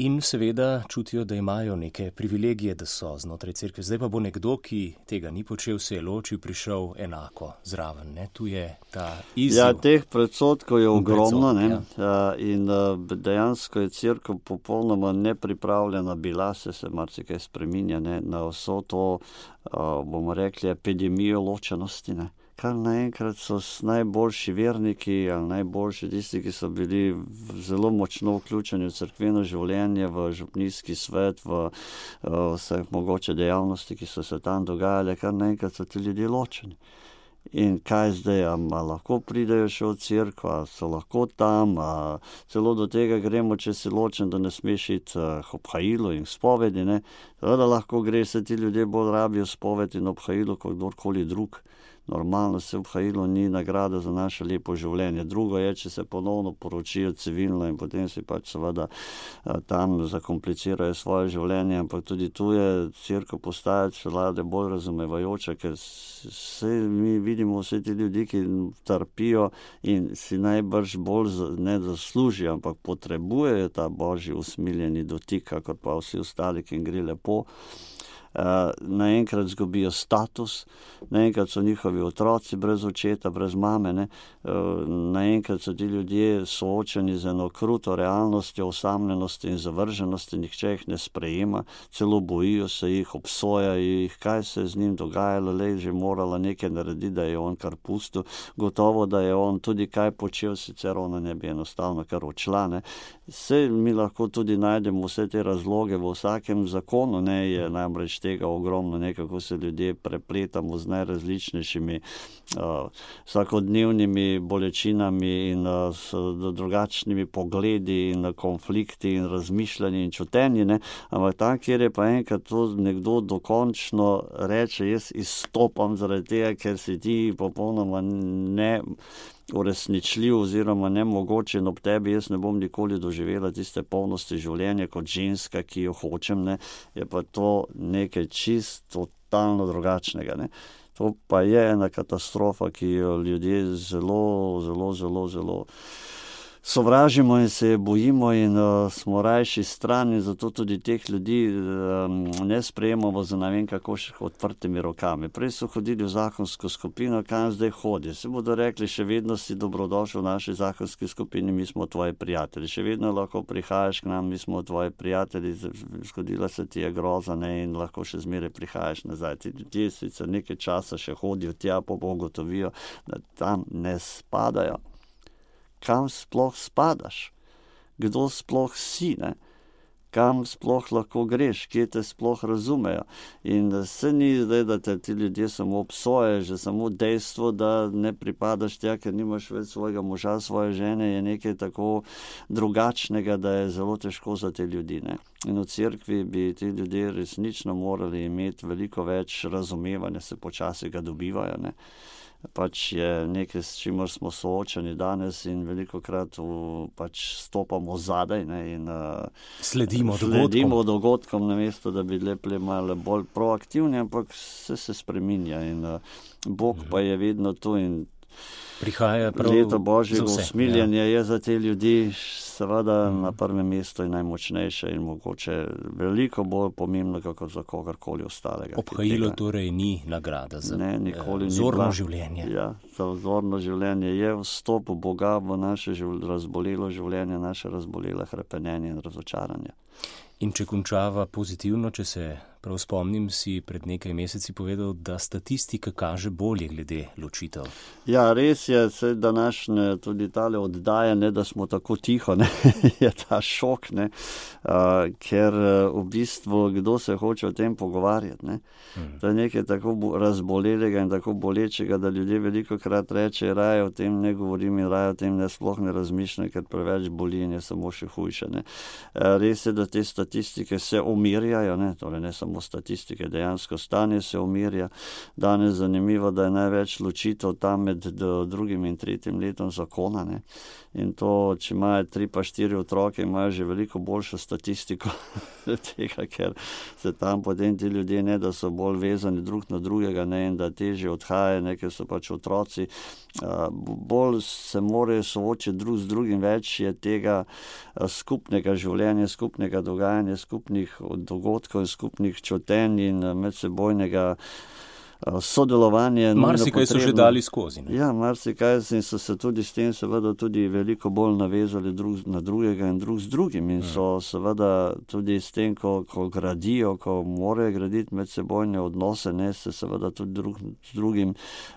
in seveda čutijo, da imajo neke privilegije, da so znotraj cerkve. Zdaj pa bo nekdo, ki tega ni počel, se je ločil, prišel enako zraven, ne? Tu je ta izziv. Ja, teh predsotkov je ogromno, ne? Ja. In dejansko je cerkev popolnoma nepripravljena bila, se marsikaj spreminja, ne? Na vso to, bomo rekli, epidemijo ločenosti, ne? Kar naenkrat so najboljši verniki ali najboljši tisti, ki so bili zelo močno vključeni v cerkveno življenje, v župnijski svet, v vse mogoče dejavnosti, ki so se tam dogajale, kar naenkrat so ti ljudje ločeni. In kaj zdaj, lahko pridejo še v cerkev, so lahko tam, celo do tega gremo, če si ločen, da ne smeš iti k obhajilu in spovedi, ne. Da lahko gre, se ti ljudje bolj rabijo spoved in obhajilu kot kdorkoli drug. Normalno se obhajilo ni nagrada za naše lepo življenje. Drugo je, če se ponovno poročijo civilno in potem si pač seveda tam zakomplicirajo svoje življenje, ampak tudi tu je cerkev postaja čelade bolj razumevajoča, ker mi vidimo vse ti ljudi, ki trpijo in si najbrž bolj ne zaslužijo, ampak potrebujejo ta božji usmiljeni dotik, kakor pa vsi ostali, ki jim gre lepo. Naenkrat zgubijo status, naenkrat so njihovi otroci brez očeta, brez mame, ne? Naenkrat so ti ljudje soočeni z eno kruto realnostjo, osamljenosti in zavrženosti, nihče jih ne sprejema, celo bojijo se jih, obsojajo jih, kaj se je z njim dogajalo, že morala nekaj narediti, da je on kar pustil, gotovo, da je on tudi kaj počel, sicer ona ne bi enostavno kar odšla, ne? Saj mi lahko tudi najdemo vse te razloge v vsakem zakonu, ne, je namreč tega ogromno, nekako se ljudje prepletamo z najrazličnejšimi vsakodnevnimi bolečinami in s drugačnimi pogledi in konflikti in razmišljanje in čutenje, ne, ampak tam, kjer je pa enkrat to nekdo dokončno reče, jaz izstopam zaradi tega, ker si ti popolnoma ne uresničljiv oziroma nemogoče in ob tebi jaz ne bom nikoli doživela tiste polnosti življenja kot ženska, ki jo hočem, ne, je pa to nekaj čisto totalno drugačnega, ne. To pa je ena katastrofa, ki jo ljudje zelo sovražimo in se je bojimo in smo rajši stran in zato tudi teh ljudi ne sprejemamo za ne vem kako še odprtimi rokami. Prej so hodili v zakonsko skupino, kam zdaj hodi? Se bodo rekli, še vedno si dobrodošel v naši zakonski skupini, mi smo tvoji prijatelji. Še vedno lahko prihajaš k nam, mi smo tvoji prijatelji, zgodila se ti je groza, ne, in lahko še zmeraj prihajaš nazaj. Ti ljudje sicer nekaj časa še hodijo tja, pa ugotovijo, da tam ne spadajo. kam sploh spadaš, kdo sploh si, ne? Kam sploh lahko greš, kje te sploh razumejo. In se ni zdaj, da te ti ljudje samo obsojajo, že samo dejstvo, da ne pripadaš tja, ker nimaš več svojega moža, svoje žene, je nekaj tako drugačnega, da je zelo težko za te ljudi, ne. In v cerkvi bi ti ljudje resnično morali imeti veliko več razumevanja, se počasi ga dobivajo, ne. Pač je nekaj, s čimer smo soočeni danes in velikokrat pač stopamo zadaj, ne, in sledimo dogodkom, namesto da bi bili malo bolj proaktivni, ampak se spreminja in Bog pa je vedno tu in prihaja prav leto Božjega usmiljenja je za te ljudi seveda na prvem mestu in najmočnejše in mogoče veliko bolj pomembno, kako za kogarkoli ostalega. Obhajilo torej ni nagrada za vzorno življenje. Ja, za vzorno življenje je vstop Boga v naše razbolelo življenje, naše razbolele hrepenenje in razočaranje. In če končava pozitivno, če se prav spomnim, si pred nekaj meseci povedal, da statistika kaže bolje glede ločitev. Ja, res je, se današnje tudi tale oddaje, ne, da smo tako tiho, ne, je ta šok, ne, ker v bistvu kdo se hoče o tem pogovarjati, ne. To je nekaj tako razbolelega in tako bolečega, da ljudje velikokrat reče, raje o tem ne govorim in raje o tem ne sploh ne razmišljam, ker preveč boli in je samo še hujše, ne. Res je, da te statistike se umirjajo, ne, torej ne samo statistike, dejansko stanje se umirja. Danes zanimivo, da je največ ločitev tam med 2. in 3. letom zakona, ne. In to, če imajo 3 pa 4 otroke, imajo že veliko boljšo statistiko tega, ker se tam potem ti ljudje ne, da so bolj vezani drug na drugega, ne, in da težje odhajajo, ne, ker so pač otroci, bolj se morajo soočiti drug z drugim, več je tega skupnega življenja, skupnega dogajanja, skupnih dogodkov in skupnih čutenj in medsebojnega sodelovanje. Marsikaj so že dali skozi, ne? Ja, marsikaj in so se tudi s tem seveda tudi veliko bolj navezali drug na drugega in drug z drugim in so seveda tudi s tem, ko gradijo, ko morajo graditi medsebojne odnose, ne, se seveda tudi drug z drugim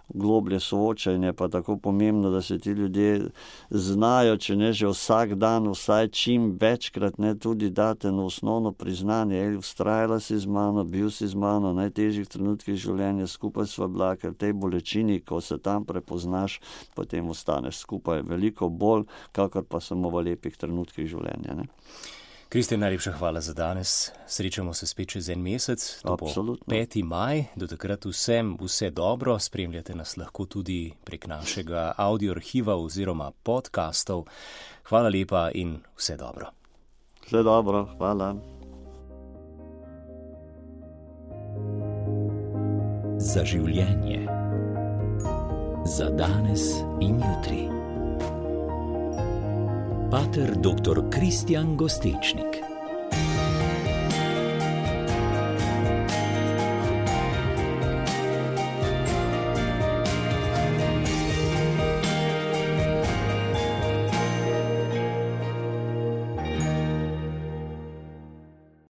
globlje soočajo in je pa tako pomembno, da se ti ljudje znajo, če ne že vsak dan, vsaj čim večkrat, ne, tudi date na osnovno priznanje, vztrajala si z mano, bil si z mano, najtežjih trenutkih življenja, skupaj sva bila, ker v tej bolečini, ko se tam prepoznaš, potem ostaneš skupaj veliko bolj, kakor pa samo v lepih trenutkih življenja, ne. Kristjan, najlepša hvala za danes. Srečamo se spet čez en mesec, to bo 5. maj. Do takrat vsem vse dobro. Spremljate nas lahko tudi prek našega audio arhiva oziroma podcastov. Hvala lepa in vse dobro. Vse dobro, hvala. Za življenje. Za danes in jutri. Pater dr. Kristjan Gostečnik.